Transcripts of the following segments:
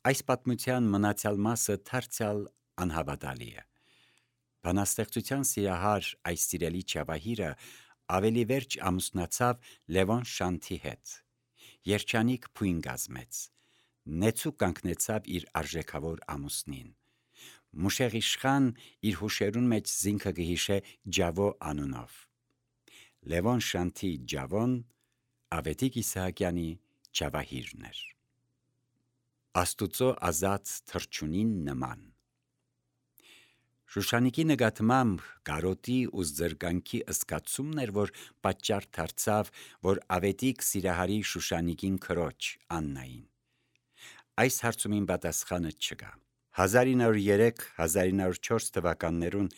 Այս պատմության մնացյալ մասը թարցյալ անհավատալի է։ Բանաստեղծության սիրահար այս սիրելի Ճավահիրը ավելի վերջ ամուսնացավ Լևոն Շանթի հետ։ Երջանիկ փույն կազմեց, նեցուկ կանգնեցավ իր արժեքավոր ամուսնին։ Մուշեղ իշխան իր հուշերուն մեջ զինքը կհիշե Ջավո անունով։ Լևոն Շանթի Ջավոն Ավետիք Իսահակյանի Ճավահիրն էր։ Աստուծո ազատ թռչունին նման։ Շուշանիկի նկատմամբ կարոտի ու զրկանքի զգացումն էր, որ պատճառ դարձավ, որ Ավետիք սիրահարի Շուշանիկին քրոջ Աննային։ Այս հարցումին պատասխանը չկա։ 1903-1904 թվականներուն,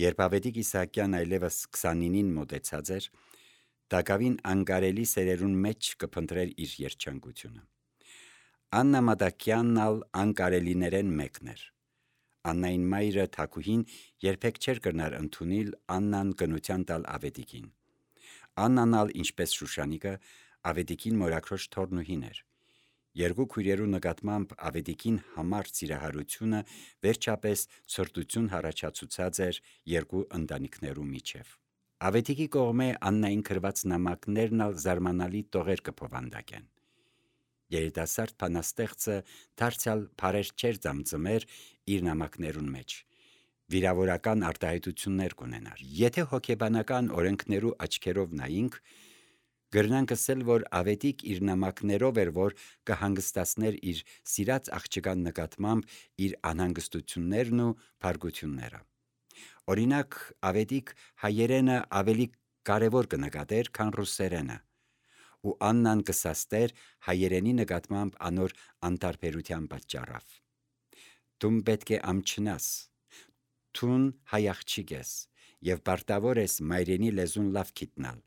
երբ Ավետիք Իսահակյան այլևս 29-ին մոտեցած էր, տակավին անկարելի սերերուն մեջ կփնտրեր իր երջանկությունը։ Աննա Մատակյանն ալ անկարելիներեն մեկն էր։ Աննային մայրը Թակուհին երբեք չէր կրնար ընդունել Աննան կնության տալ Ավետիքին։ Աննան ալ, ինչպես Շուշանիկը, Ավետիքին մորաքրոջ թորնուհին էր։ Երկու քույրերու նկատմամբ Ավետիքին համար սիրահարությունը վերջապես ցրտություն առաջացուցած էր երկու ընտանիքներու միջև։ Ավետիքի կողմէ Աննային գրված նամակներն ալ զարմանալի տողեր կփոխանդակեն։ Երիտասարդ բանաստեղծը դարձյալ բարեր չէր ծամծմեր իր նամակներուն մեջ, վիրավորական արտահայտություններ կունենար։ Եթե հոգեբանական օրենքներու աչքերով նայինք, գրնանք ասել, որ Ավետիք իր նամակներով էր, որ կհանգստացներ իր սիրած աղջկան նկատմամբ իր անհանգստություններն ու փառգությունները։ Օրինակ, Ավետիք հայերենը ավելի կարևոր կնկատեր, քան ռուսերենը, ու Աննան կսաստեր հայերենի նկատմամբ անոր անտարբերության պատճառով։ Դու պետք է ամչնաս, թուն հայ աղջիկ ես, եւ պարտավոր ես մայրենի լեզուն լավ գիտնալ,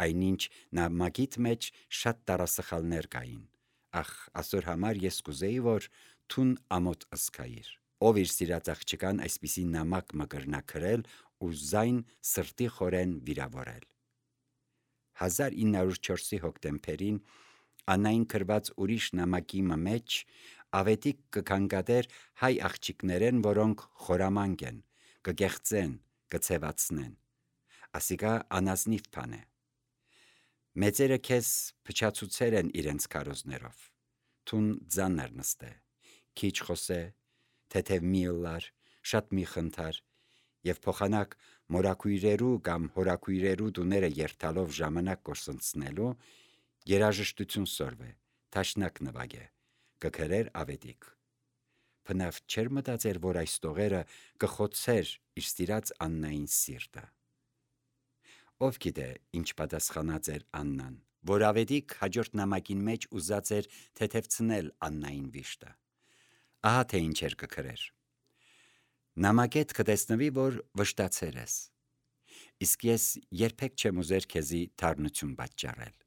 այնինչ նամակիդ մեջ շատ տարասխալներ կային։ Ախ, ասոր համար ես կուզեի, որ թուն ամոթ ըսկայիր։ Ով իր սիրած աղջկան այսպիսի նամակ մը կրնա գրել ու զայն սրտի խորեն վիրավորել։ 1904-ի հոկտեմբերին Աննային գրված ուրիշ նամակի մեջ Ավետիք կքննադեր հայ աղջիկներեն, որոնք խորամանկ են, կգեղծեն, կցևացնեն։ Ասիկա անազնիվ բան է։ Մեծերը քեզ փչացուցել են իրենց քարոզներով։ Թուն ձաններ նստե, քիչ խոսե, թեթև մի ըլլար, շատ մի խնդար, եւ փոխանակ մորաքույրերու կամ հորաքույրերու դուները երթալով ժամանակ կորսնցնելու երաժշտություն սորվե, թաշնակ նվագե, կգրեր Ավետիք։ Բնավ չէր մտածեր, որ այս տողերը կխոցեր իր սիրած Աննային սիրտը։ Ով գիտե ինչ պատասխանած էր Աննան, որ Ավետիք հաջորդ նամակին մեջ ուզած էր թեթևցնել Աննային վիշտը։ Ահա թե ինչ էր կգրեր. նամակետ կտեսնվի, որ վշտացել ես, իսկ ես երբեք չեմ ուզեր քեզի թարնություն պատճառել։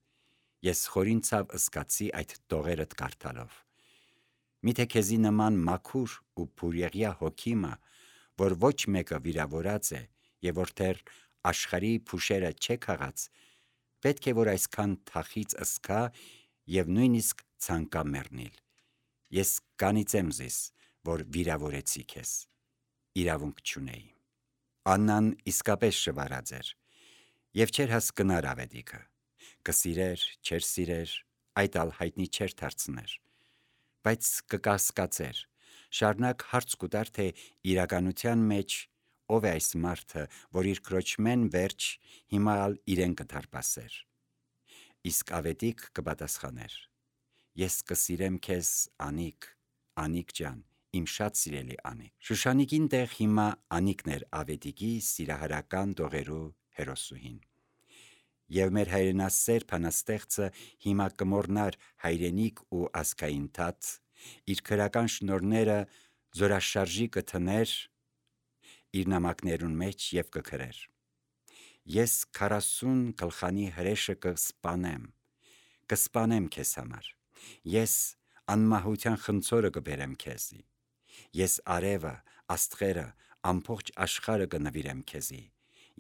Ես խորին ցավ ըսկացի այդ տողերդ կարդալով։ Միթե քեզի նման մաքուր ու բուրեղյա հոգիմը, որ ոչ մեկը վիրավորած է եւ որ դեռ աշխարհի փուշերը չէ քաղած, պետք է որ այսքան թախից ըսկա եւ նույնիսկ ցանկա մեռնել։ Ես կանիծեմ զիս, որ վիրավորեցի քեզ։ Իրավունք չունեի։ Աննան իսկապես շվարած էր եւ չէր հասկնար Ավետիքը։ Կսիրեր, չէր սիրեր, այդ ալ հայտնի չէր դարձներ, բայց կկասկածեր, շարունակ հարց կուտար, թե իրականության մեջ ով է այս մարդը, որ իր քրոջմեն վերջ հիմա ալ իրեն կդարպասեր։ Իսկ Ավետիք կպատասխաներ. ես կսիրեմ քեզ Անիկ, Անիկ ջան, իմ շատ սիրելի Անիկ։ Շուշանիկին տեղ հիմա Անիկն էր Ավետիքի սիրահարական տողերու հերոսուհին։ Եվ մեր հայրենասեր բանաստեղծը հիմա կմոռնար հայրենիք ու ազգային թաթ, իր քրական շնորհները զորաշարժի կթներ իր նամակներուն մեջ եւ կգրեր. ես 40 գլխանի հրեշը կսպանեմ քեզ համար, ես անմահության խնձորը կբերեմ քեզի, ես արևը, աստղերը, ամբողջ աշխարհը կնվիրեմ քեզի,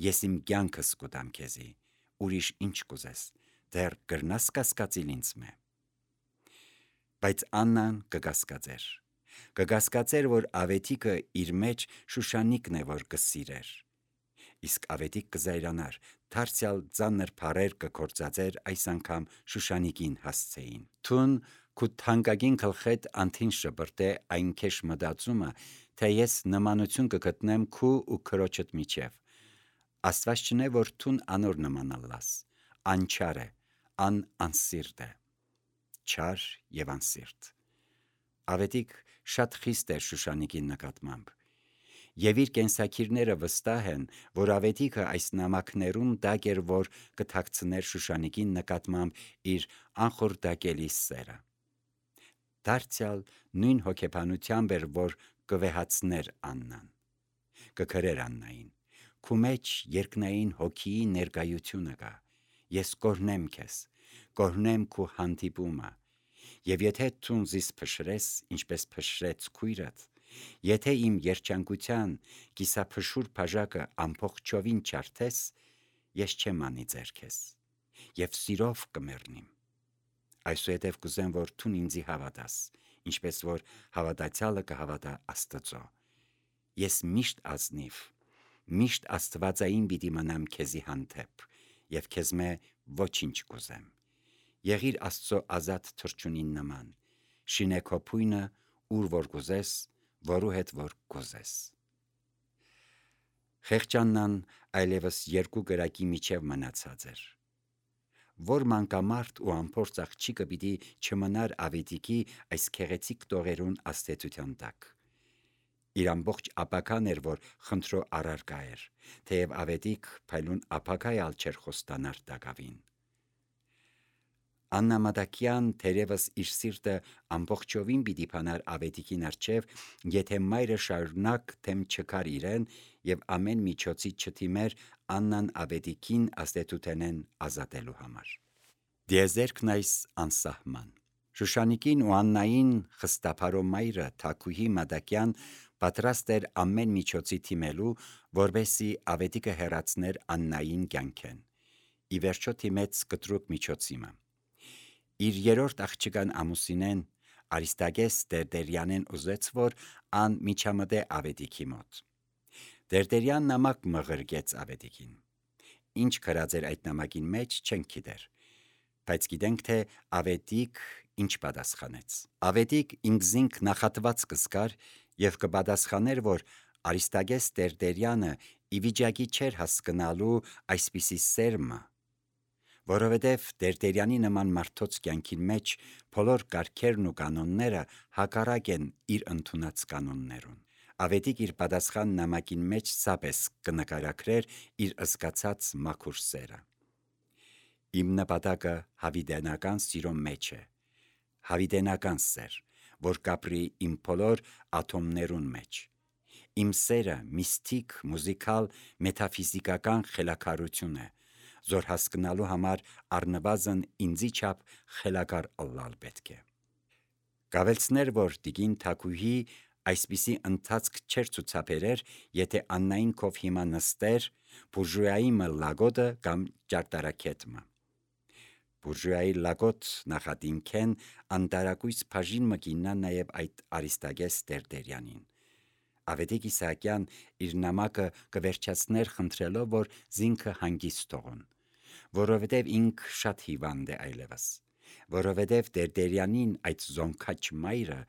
ես իմ կյանքս կուտամ քեզի, ուրիշ ինչ կուզես, դեռ կրնաս կասկածիլ ինձ մե։ Բայց Աննան կգասկածեր։ Կգասկածեր, որ Ավետիքը իր մեջ Շուշանիկն է, որ կսիրեր։ Իսկ Ավետիք կզայրանար, դարձյալ ծանր փառեր կկործածեր այս անգամ Շուշանիկին հասցեին։ Թուն քու թանկագին գլխետ անթին շբրտե այն քեշ մտածումը, թե ես նմանություն կգտնեմ քու ու քրոջդ միջև։ Աստված չնե, որ թուն անոր նմանալաս, անչար է, անսիրտ է, չար եւ անսիրտ։ Ավետիք շատ խիստ էր Շուշանիկի նկատմամբ, եւ իր կենսակիրները վստահ են, որ Ավետիքը այս նամակներուն դակ էր, որ կթաքցներ Շուշանիկի նկատմամբ իր անխորտակելի սերը։ Դարձյալ նույն հոգեբանությամբ էր, որ կվեհացներ Աննան, կքրեր Աննային։ Քու մեջ երկնային հոգիի ներկայությունը կա։ Ես կօրհնեմ քեզ, կօրհնեմ քու հանդիպումը։ Եվ եթե ցուն զիս փշրես, ինչպես փշրեց քույրդ, եթե իմ երջանկության կիսափշուր բաժակը ամբողջովին չարթես, ես չեմ անի ձեր քեզ, եւ սիրով կմեռնիմ։ Այսուհետև կուզեմ, որ ցուն ինձի հավատաս, ինչպես որ հավատացյալը կհավատա Աստծո։ Ես միշտ ազնիվ, միշտ աստվածային պիտի մնամ քեզի հանդեպ, եւ քեզ մե ոչինչ կուզեմ։ Եղիր Աստծո ազատ թրջունին նման, շինե քո փույնը, ուր որ կուզես, որու հետ որ կուզես։ Խեղճաննան այլևս երկու գրակի միջև մնացած էր։ Որ մանկամարդ ու ամփորձ աղջիկը պիտի չմնար Ավետիքի այս քեղեցիկ տողերուն աստեցության տակ։ Իր ամբողջ ապական էր, որ խնդրո առարկա էր, թեև Ավետիք փայլուն ապակայալ չեր խոստանար տակավին։ Աննա Մատակյան թերևս իր սիրտը ամբողջովին պիտի փանար Ավետիքին առջև, եթե մայրը շարունակ թեմ չկար իրեն եւ ամեն միջոցի չթիմեր Աննան Ավետիքին աստեցութենեն ազատելու համար։ Դիեզերքն այս անսահման։ Շուշանիկին ու Աննային խստափարո մայրը Թաքուհի Մատակյան պատրաստ էր ամեն միջոցի թիմելու, որբեսի Ավետիքը հեռացներ Աննային կյանքեն։ Ի վերջո թիմեց կտրուկ միջոցիմը։ Իր երրորդ աղջկան ամուսինեն Արիստագես Դերդերյանեն ուզեց, որ ան միջամտե Ավետիքի մոտ։ Դերդերյան նամակ մղրգեց Ավետիքին։ Ինչ գրած էր այդ նամակին մեջ չենք գիտեր, բայց գիտենք, թե Ավետիք ինչ պատասխանեց։ Ավետիք ինքզինք նախատված կսկար եւ կպատասխաներ, որ Արիստագես Դերդերյանը ի վիճակի չէր հասկանալու այսպիսի սերմը, որովհետև Դերդերյանի նման մարդոց կյանքին մեջ բոլոր կարգերն ու կանոնները հակառակ են իր ընդունած կանոններուն։ Ավետիք իր պատասխան նամակին մեջ սապես կնկարագրեր իր զգացած մաքուր սերը։ Իմ նպատակը հավիտենական սիրո մեջ է, հավիտենական սեր, որ կապրի իմ բոլոր ատոմներուն մեջ։ Իմ սերը միստիկ, մուզիկալ, մետաֆիզիկական խելագարություն է, զոր հասկանալու համար առնվազն ինձի չափ խելագար ըլլալ պետք է։ Կավելցներ, որ տիկին Թաքուհի այսպիսի ընթացք չէր ցուցաբերեր, եթե Աննային կով հիմա նստեր բուրժուայի լագոտը կամ ճարտարակետմը։ Բուրժուայի լագոտ նախատինքեն անտարակույս բաժին մկիննա նաև այդ Արիստագես Դերդերյանին։ Ավետիք Իսահակյան իր նամակը կվերջացներ խնդրելով, որ զինքը հանգիստ թողոն, որովհետև ինք շատ հիվանդ է այլևս, որովհետև Դերդերյանին այդ զոնքաչ մայրը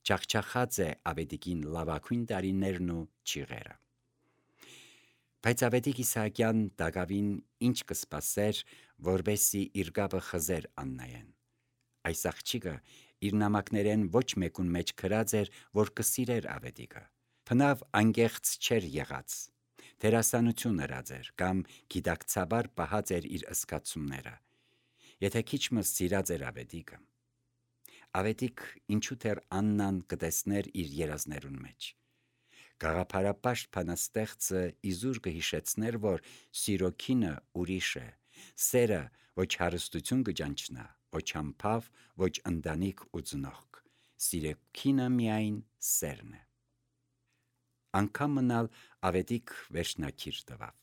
ճախճախած է Ավետիքին լավագույն տարիներն ու ճիղերը։ Բայց Ավետիք Իսահակյան դակավին ինչ կսպասեր, որբեսի իր կապը խզեր Աննայեն։ Այս աղջիկը իր նամակներեն ոչ մեկուն մեջ գրած էր, որ կսիրեր Ավետիքը։ Բնավ անկեղծ չէր եղած, դերասանություն հրած էր կամ գիտակցաբար պահած էր իր զգացումները։ Եթե քիչմը սիրած էր Ավետիքը, Ավետիք ինչու թեր Աննան կտեսներ իր երազներուն մեջ։ Գաղափարապաշտ բանաստեղծը իզուր կհիշեցներ, որ սիրո քինը ուրիշ է, սերը ոչ հարստություն կճանչնա, ոչ համբավ, ոչ ընտանիք ու ծնողք, սիրո քինը միայն սերն է։ Անկամ մնալ Ավետիք վերջնակիր տվավ։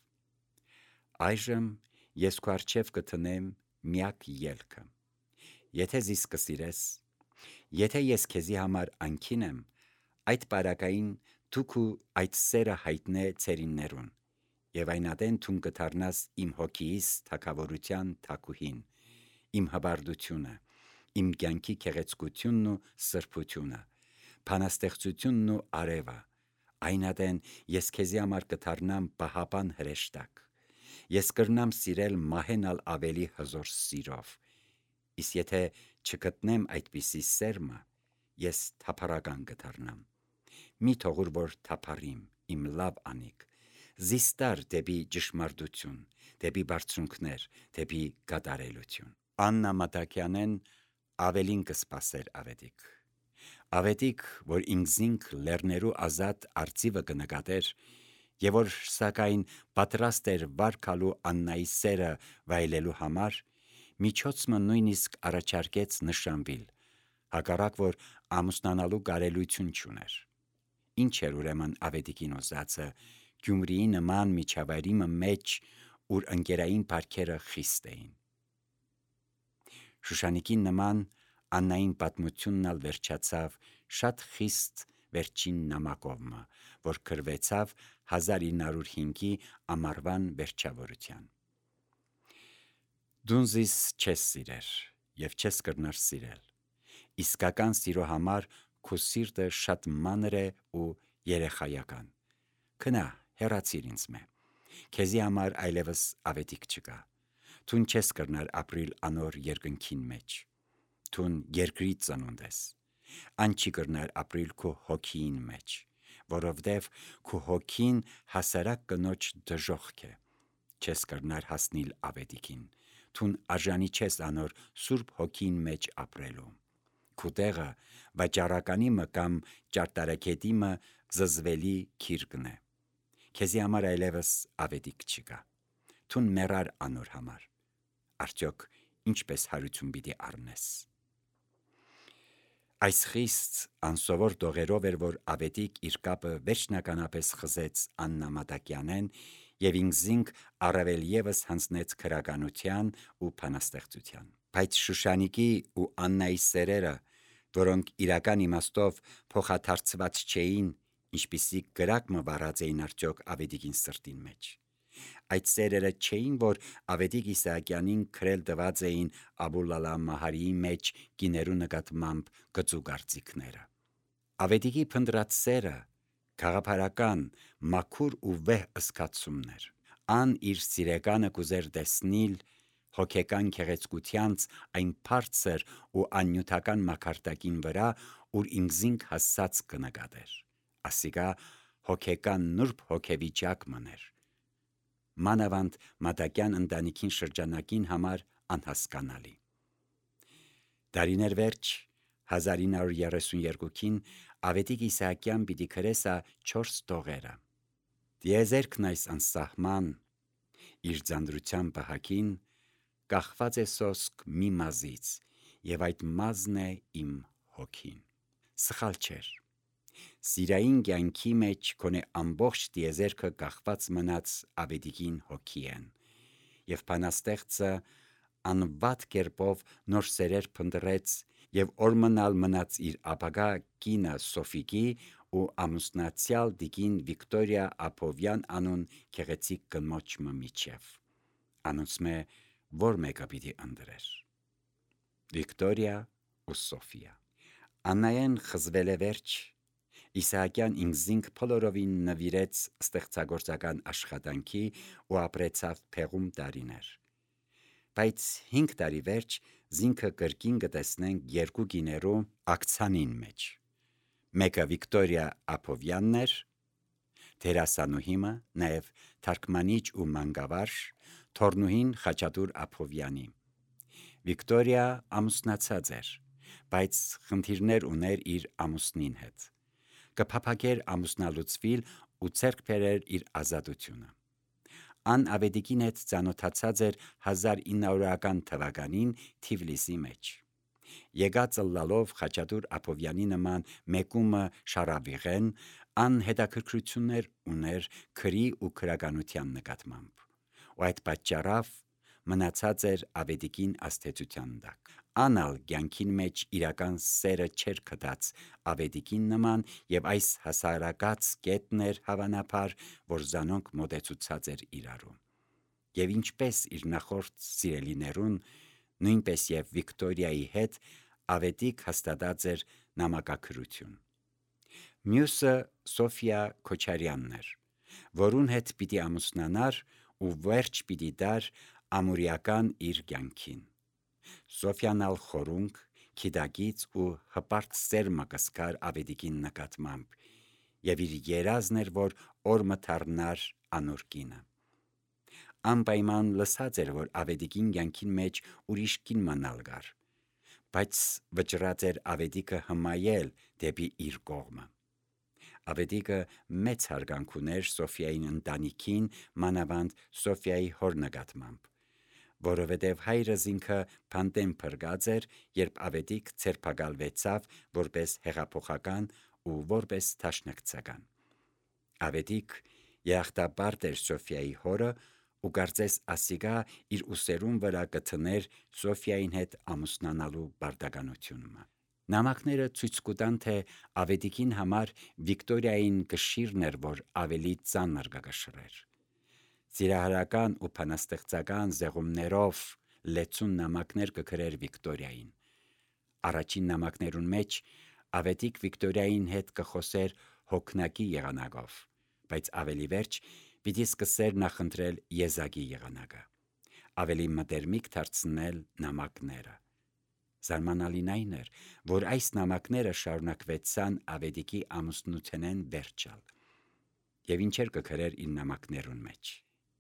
Այժմ ես քո առջև կտնեմ միակ ելքը։ Եթե զիս կսիրես, Եթե ես քեզի համար անքին եմ, այդ բարակային դու քու այդ սերը հայտնե ցերիններուն, եւ այնադեն թուն կդառնաս իմ հոգիս թակավորության թակուհին, իմ հբարդությունը, իմ կյանքի քեղեցկությունն ու սրբությունը, փանաստեղծությունն ու արևը, այնադեն ես քեզի համար կդառնամ պահապան հրեշտակ, ես կրնամ սիրել մահենալ ավելի հզոր սիրով, իսկ եթե չգտնեմ այդպիսի սերմը, ես թափառական կդառնամ, մի թողուր որ թափառիմ, իմ լավ անիք, զիստար դեպի ճշմարտություն, դեպի բարձունքներ, դեպի կատարելություն։ Աննա Մատակյանեն ավելին կսպասեր ավետիք։ Ավետիք, որ ինքզինք լեռներու ազատ արծիվը կնկատեր, եւ որ սակայն պատրաստ էր վարկալու Աննայի սերը վայելելու համար, միջոցը նույնիսկ առաջարկեց նշանվիլ, հակառակ որ ամուսնանալու կարելություն չուներ։ Ինչ էր ուրեմն ավետիքին ուզածը Գյումրիի նման միջավայրի մեջ, ուր ընկերային բարքերը խիստ էին։ Շուշանիկին նման Աննային պատմությունն ալ վերջացավ շատ խիստ վերջին նամակովը, որ գրվեցավ 1905-ի ամառվան վերջավորության։ Դուն զիս չես սիրեր եւ չես կրնար սիրել։ Իսկական սիրո համար քո սիրտը շատ մանր է ու երեխայական։ Քնա, հեռացիր ինձ մե։ Քեզի համար այլևս ավետիք չկա։ Թուն չես կրնար ապրիլ անոր երկնքին մեջ։ Թուն երկրի ծնունդ ես։ Ան չի կրնար ապրիլ քո հոգին մեջ, որովդև քո հոգին հասարակ կնոջ դժոխք է։ Չես կրնար հասնիլ ավետիքին, թուն արժանի չես անոր սուրբ հոգին մեջ ապրելու։ Քու տեղը վաճառականի մը կամ ճարտարակետի մը զզվելի քիրկն է։ Քեզի համար այլևս ավետիք չկա։ Թուն մեռար անոր համար։ Արդյոք ինչպես հարություն պիտի առնես։ Այս խիստ անսովոր տողերով էր, որ ավետիք իր կապը վերջնականապես խզեց Աննա Մատակյանեն եւ ինքզինք առավել եւս հանձնեց քրականության ու փանաստեղծության։ Բայց Շուշանիկի ու Աննայի սերերը, որոնք իրական իմաստով փոխադարձված չէին, ինչպիսի գրակ մը վառած էին արդյոք ավետիքին սրտին մեջ։ Այդ սերերը չէին, որ ավետիք Իսահակյանին քրել տված էին Աբուլալա Մահարիի մեջ կիներու նկատմամբ գծու կարծիքները։ Ավետիքի փնտրած սերը գաղափարական, մաքուր ու վեհ ըսկացումներ։ Ան իր սիրեկանը կուզեր տեսնիլ հոգեկան քեղեցկությանց այն բարձր ու աննյութական մակարդակին վրա, ուր ինքզինք հասած կնկատեր։ Ասիկա հոգեկան նուրբ հոգեվիճակ մներ։ Մանավանդ Մատակյան ընտանիքին շրջանակին համար անհասկանալի։ Դարիներ վերջ 1932-ին ավետիք Իսահակյան պիտի քրեսա 4 տողերը։ Դիեզերքն այս անսահման իր ձանդրության պահակին կախված է սոսկ մի մազից, եւ այդ մազն է իմ հոգին։ Սխալ չէր։ Սիրային կյանքի մեջ կոնե ամբողջ դիեզերքը կախված մնաց ավետիքին հոգի են, եւ բանաստեղծը անվատ կերպով նոր սերեր փնտրեց եւ օրմնալ մնաց իր ապագա կինը Սոֆիկի ու ամուսնացյալ տիկին Վիկտորիա Ափովյան անուն քեղեցիկ կնոջ միջև։ Անոնցմե որ մեկը պիտի ընտրեր։ Վիկտորիա ու Սոֆիա։ Աննայեն խզվել է վերջ, Իսահակյան ինքզինք փոլորովին նվիրեց ստեղծագործական աշխատանքի ու ապրեցավ փեղում տարիներ։ Բայց 5 տարի վերջ զինքը կրկին կտեսնենք երկու գիներու ակցանին մեջ։ Մեկը Վիկտորիա Ափովյանն էր, դերասանուհիմը, նաև թարգմանիչ ու մանկավարժ, թորնուհին Խաչատուր Ափովյանի։ Վիկտորիա ամուսնացած էր, բայց խնդիրներ ուներ իր ամուսնին հետ։ Կփափագեր ամուսնալուծվիլ ու ձեռք բերեր իր ազատությունը։ Ան ավետիքին հետ ծանոթացած էր 1900-ական թվականին Թիֆլիսի մեջ։ Եկած ըլլալով Խաչատուր Ափովյանի նման մեկումը շարավիղեն, ան հետաքրքրություններ ուներ քրի ու քրականության նկատմամբ, ու այդ պատճառով մնացած էր ավետիքին աստեցության տակ։ Անալ կյանքին մեջ իրական սերը չէր գտած Ավետիքին նման եւ այս հասարակած կետն էր հավանաբար, որ Զանոնք մոտեցուցած էր իրարու։ Եվ ինչպես իր նախորդ սիրելիներուն, նույնպես եւ Վիկտորիայի հետ Ավետիք հաստատած էր նամակագրություն։ Մյուսը Սոֆիա Քոչարյանն էր, որուն հետ պիտի ամուսնանար ու վերջ պիտի դար ամուրիական իր կյանքին։ Սոֆիան ալ խորունկ, քիդագից ու հպարտ սերմը կսկար Ավետիքին նկատմամբ եւ իր երազն էր, որ օրը դառնար անոր կինը։ Անպայման լսած էր, որ Ավետիքին կյանքին մեջ ուրիշ կին մնալ գար, բայց վճռած էր Ավետիքը հմայել դեպի իր կողմը։ Ավետիքը մեծ հարգանք ուներ Սոֆիային ընտանիքին, մանավանդ Սոֆիայի հոր նկատմամբ, որովհետև հայրս ինքը փանտեն փրկած էր, երբ Ավետիք ցերպակալվեցավ որպես հեղափոխական ու որպես դաշնակցական։ Ավետիք երախտապարտ էր Սոֆիայի հորը ու կարծես ասիգա իր ուսերուն վրա կթներ Սոֆիային հետ ամուսնանալու բարդականությունը։ Նամակները ցույց կտան, թե Ավետիքին համար Վիկտորիային կշիռն էր, որ ավելի ծանր կգշրեր։ Ծիրահարական ու փանաստեղծական զեղումներով լեցուն նամակներ կգրեր Վիկտորիային։ Առաջին նամակներուն մեջ Ավետիք Վիկտորիային հետ կխոսեր հոգնակի եղանակով, բայց ավելի վերջ պիտի սկսեր նախընտրել եզակի եղանակը, ավելի մտերմիկ դարձնել նամակները։ Զարմանալին այն էր, որ այս նամակները շարունակվեցան Ավետիքի ամուսնութենեն վերջալ։ Եվ ինչեր կգրեր իր նամակներուն մեջ։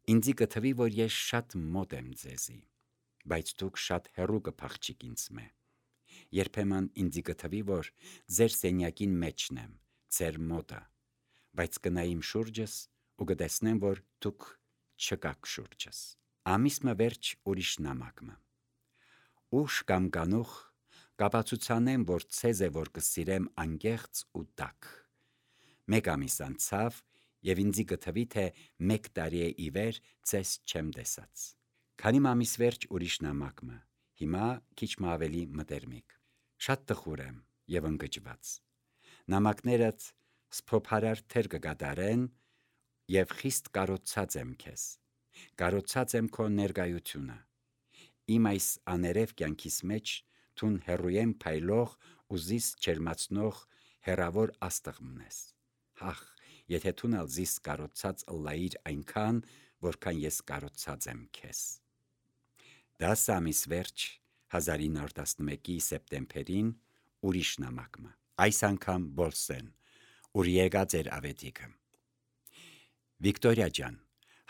Ինձի կթվի, որ ես շատ մոտ եմ ձեզի, բայց դուք շատ հեռու կփախչիք ինձ մե։ Երբեմն ինձի կթվի, որ ձեր սենյակին մեջն եմ, ձեր մոտը, բայց կնայիմ շուրջս ու կտեսնեմ, որ դուք չկաք շուրջս։ Ամիսմը վերջ ուրիշ նամակը։ Ուշ կամ կանուխ կապացուցանեմ, որ ցեզ է, որ կսիրեմ անկեղծ ու տաք։ Մեկ ամիս անցավ եւ ինձի կթվի, թե 1 տարի է ի վեր ցես չեմ տեսած։ Քանի ամիս վերջ ուրիշ նամակը, հիմա քիչ ավելի մտերմիկ։ Շատ տխուր եմ եւ ընկճված։ Նամակներդ սփոփարար թեր կկատարեն եւ խիստ կարոցած եմ քեզ։ Կարոցած եմ քո ներկայությունը։ Իմ այս աներև կյանքիս մեջ թուն հերույեմ փայլող ու զիս չերմացնող հերավոր աստղ մնես։ Հախ, եթե թունալ զիս կարոցած ըլլայիր այնքան, որքան ես կարոցած եմ քեզ։ 10 ամիս վերջ 1911-ի սեպտեմբերին ուրիշ նամակը, այս անգամ Բոլսեն, ուր եկած էր Ավետիքը։ Վիկտորիա ջան,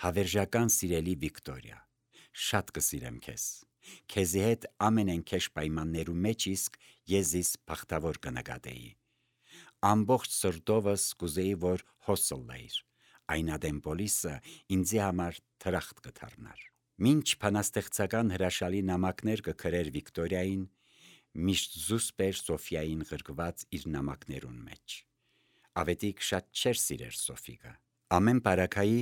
հավերժական սիրելի Վիկտորիա, շատ կսիրեմ քեզ։ Քեզի հետ ամենենքեշ պայմաններու մեջ իսկ ես զիս բախտավոր կնկատեի։ Ամբողջ սրտովս կուզեի, որ հոսլլայիր, այն ադեմ պոլիսը ինձի համար թրախտ կդառնար։ Մինչ փանաստեղծական հրաշալի նամակներ կգրեր Վիկտորիային, միշտ զուսպ էր Սոֆիային ղրկված իր նամակներուն մեջ։ Ավետիք շատ չէր սիրեր Սոֆիկը։ Ամեն բարակայի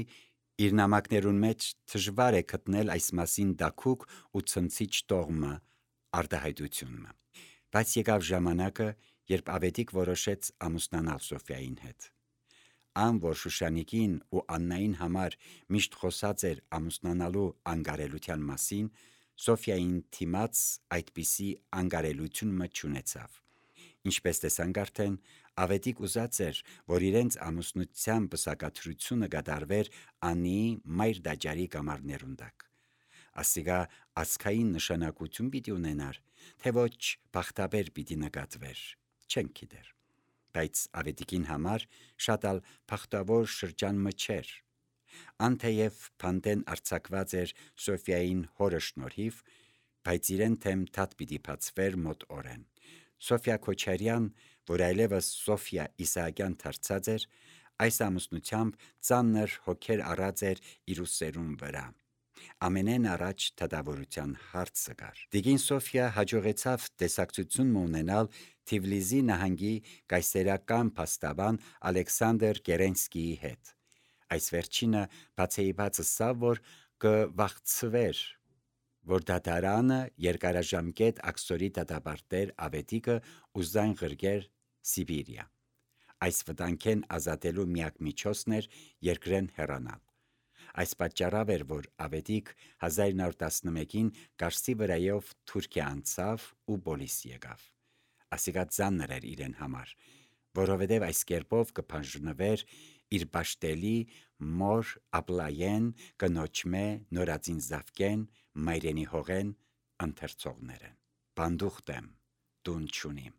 իր նամակներուն մեջ դժվար է գտնել այս մասին դակուկ ու ցնցիչ տողմը արտահայտությունը։ Բայց եկավ ժամանակը, երբ Ավետիք որոշեց ամուսնանալ Սոֆիային հետ։ Ան որ Շուշանիկին ու Աննային համար միշտ խոսած էր ամուսնանալու անկարելության մասին, Սոֆիային թիմած այդպիսի անկարելությունը չունեցավ։ Ինչպես տեսանք արդեն, Ավետիք ուզած էր, որ իրենց ամուսնության պսակադրությունը կատարվեր Աննիի մայր դաջարի կամարներուն տակ։ Ասիգա ազգային նշանակություն պիտի ունենար, թե ոչ բախտաբեր պիտի նկատվեր, չենք գիտեր։ Բայց Ավետիքին համար շատ ալ բախտավոր շրջան մը չէր։ Անթեև փանտեն արձակված էր Սոֆիային հորը շնորհիվ, բայց իրեն թեմ թաթ պիտի բացվեր մոտ օրեն։ Սոֆիա Քոչարյան, որ այլևս Սոֆիա Իսահակյան դարձած էր, այս ամուսնությամբ ծանր հոգեր առած էր իր ուսերուն վրա։ Ամենեն առաջ դատավորության հարցը կար։ Տիկին Սոֆիա հաջողեցավ տեսակցություն ունենալ Թիֆլիսի նահանգի կայսերական փաստաբան Ալեքսանդր Կերենսկիի հետ։ Այս վերջինը բացեիբաց ասավ, որ կվախցվեր, որ դատարանը երկարաժամկետ աքսորի դատապարտեր Ավետիքը ու զայն ղրգեր Սիբիրիա։ Այս վտանգեն ազատելու միակ միջոցն էր երկրեն հեռանալ։ Այս պատճառով էր, որ Ավետիք 1911-ին Կարսի վրայով Թուրքիա անցավ ու Բոլիս եկավ։ Ասիկա ծանր էր իրեն համար, որովհետև այս կերպով կփանջնվեր իր պաշտելի մոր Ապլայեն, կնոջմե նորածին Զավկեն, մայրենի հողեն ընթերցողներեն։ Բանդուխտ եմ, տուն չունիմ։